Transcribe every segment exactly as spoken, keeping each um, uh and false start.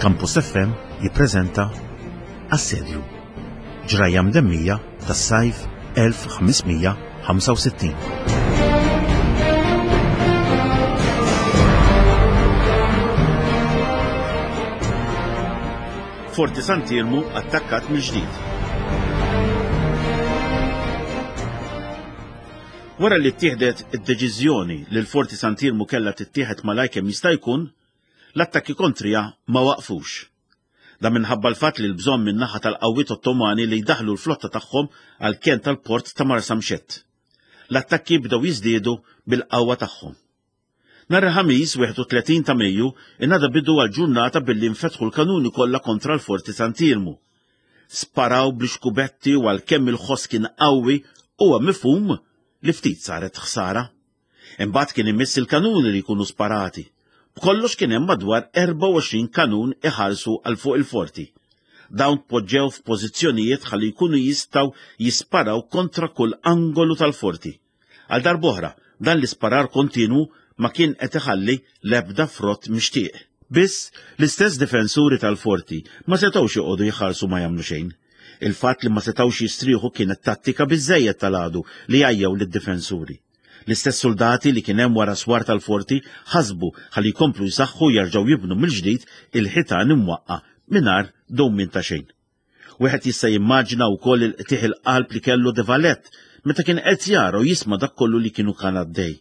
Campus F M jippreżenta Assedju, ġrajja mdemmija tas-sajf elf ħames mija ħamsa u sittin. Forti Sant'Iermu attakkat mill-ġdid. Wara li ttieħdet id-deċiżjoni li l-Forti Sant'Iermu kellha tittieħed malajr kemm jista' jkun, l-attakki kontrija ma waqfux. Dan minħabba l-fatt li l-bżonn min-naħa tal-qawwiet Ottomani li jdaħlu l-flotta tagħhom għal ken tal-port ta' Marsamxett. L-attakki bdew jiżdiedu bil-qawwa tagħhom. Nhar il-Ħamis wieħed u tletin ta' Mejju ingħada bidu għal ġurnata billi nfetħu l-kanuni kollha kontra l-Forti Sant'Iermu. Sparaw bl-ixkubetti u għalkemm il-ħoss kien qawwi huwa mifhum li ftit saret ħsara. Imbagħad kien imiss il-kanuni li jkunu sparati. B'kollox kien hemm madwar erbgħa u għoxrin kanun iħarsu għal fuq il-forti. Dawn tpoġġew f'pożizzjonijiet ħalli jkunu jistgħu jisparaw kontra kull angolu tal-forti. Għal darb'oħra, dan l-isparar kontinwu ma kien qed iħalli l-ebda frott mixtieq. Biss l-istess difensuri tal-forti ma setgħux joqogħdu jħarsu ma jagħmlu xejn. Il-fatt li ma setgħux jistrieħu kienet tattika biżżejjed tal-għadu li għajjew lid-difensuri. L-istess soldati li kien hemm wara swar tal-forti ħasbu ħalli jkomplu jsaħħu jerġgħu jibnu mill-ġdid il-ħitan imwaqqa' mingħajr dewmien ta' xejn. Wieħed jista' jimmaġina wkoll il-qtieħ il-qalb li kellu De Valette meta kien qed jara u jisma' dak kollu li kienu kan għaddej.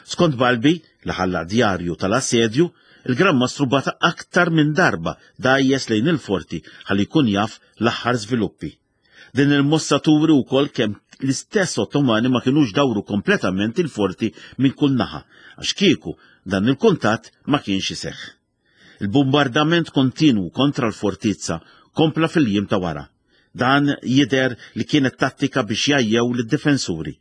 Skont Balbi, li ħalla djarju tal-assedju, il-Gran Mastru bata aktar minn darba dajjes lejn il-forti ħalli jkun jaf l-aħħar żviluppi. Din il-mossa turi wkoll kemm l-istess Ottomani ma kinux dawru kompletament il-forti minn kull naħa, għax kieku dan il-kuntatt ma kienx iseħħ. Il-bombardament kontinwu kontra l-fortizza kompla fil-jiem ta' wara. Dan jidher li kienet tattika biex jgħajjew lid-difensuri.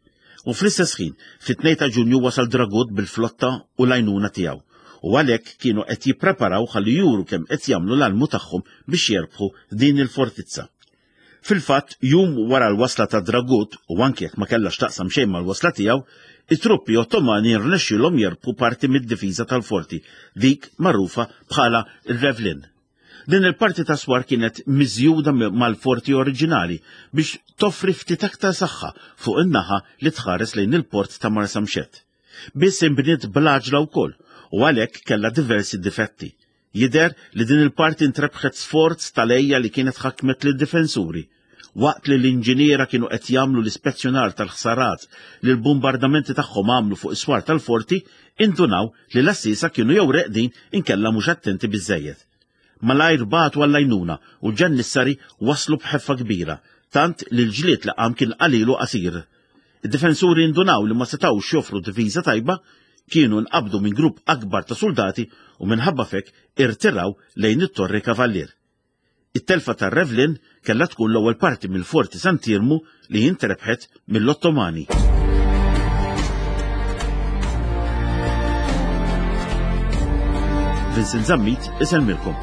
U fl-istess ħin, fit-tnejn ta' Ġunju wasal Dragut bil-flotta u l-għajnuna tiegħu. U għalhekk kienu qed jippreparaw ħalli juru kemm qed jagħmlu l-almu tagħhom biex jerbħu din il-fortizza. Fil-fatt, jum wara l-wasla ta' Dragut, u anke jekk ma kellax taqsam xejn mal-wasla tiegħu, it-truppi Ottomani rnexxielhom jerbħu parti mid-difiża tal-forti, dik magħrufa bħala r-Revlin. Din il-parti ta' swar kienet miżjuda mi-, mal-forti oriġinali biex toffri ftit aktar saħħa fuq in-naħa li tħares lejn il-port ta' Marsamxett. Biss inbniet bl-għaġla wkoll u għalhekk kellha diversi difetti. Jidher li din il-parti intrebħet sforz tal-ejja li kienet ħakmet lid-difensuri. Waqt li l-inġiniera kienu qed jagħmlu l-ispezzjonar tal-ħsarat li l-bombardamenti tagħhom għamlu fuq is-swar tal-forti, indunaw li l-assisa kienu jew reqdin inkella mhux attenti biżżejjed. Malajr bagħtu għall-għajnuna u l-ġannissari waslu b'ħeffa kbira, tant li l-ġlied li qam kien qalilu qasir. Id-difensuri indunaw li ma setgħux joffru difiża tajba, kienu nqabdu minn grupp akbar ta' soldati u minħabba fek irtiraw lejn it-Torri Kavallier. It-telfa tar-Revlin kellha tkun l-ewwel parti mill-Forti Sant'Iermu li intrebħet mill-Ottomani. Vincent Zammit isellmilkom.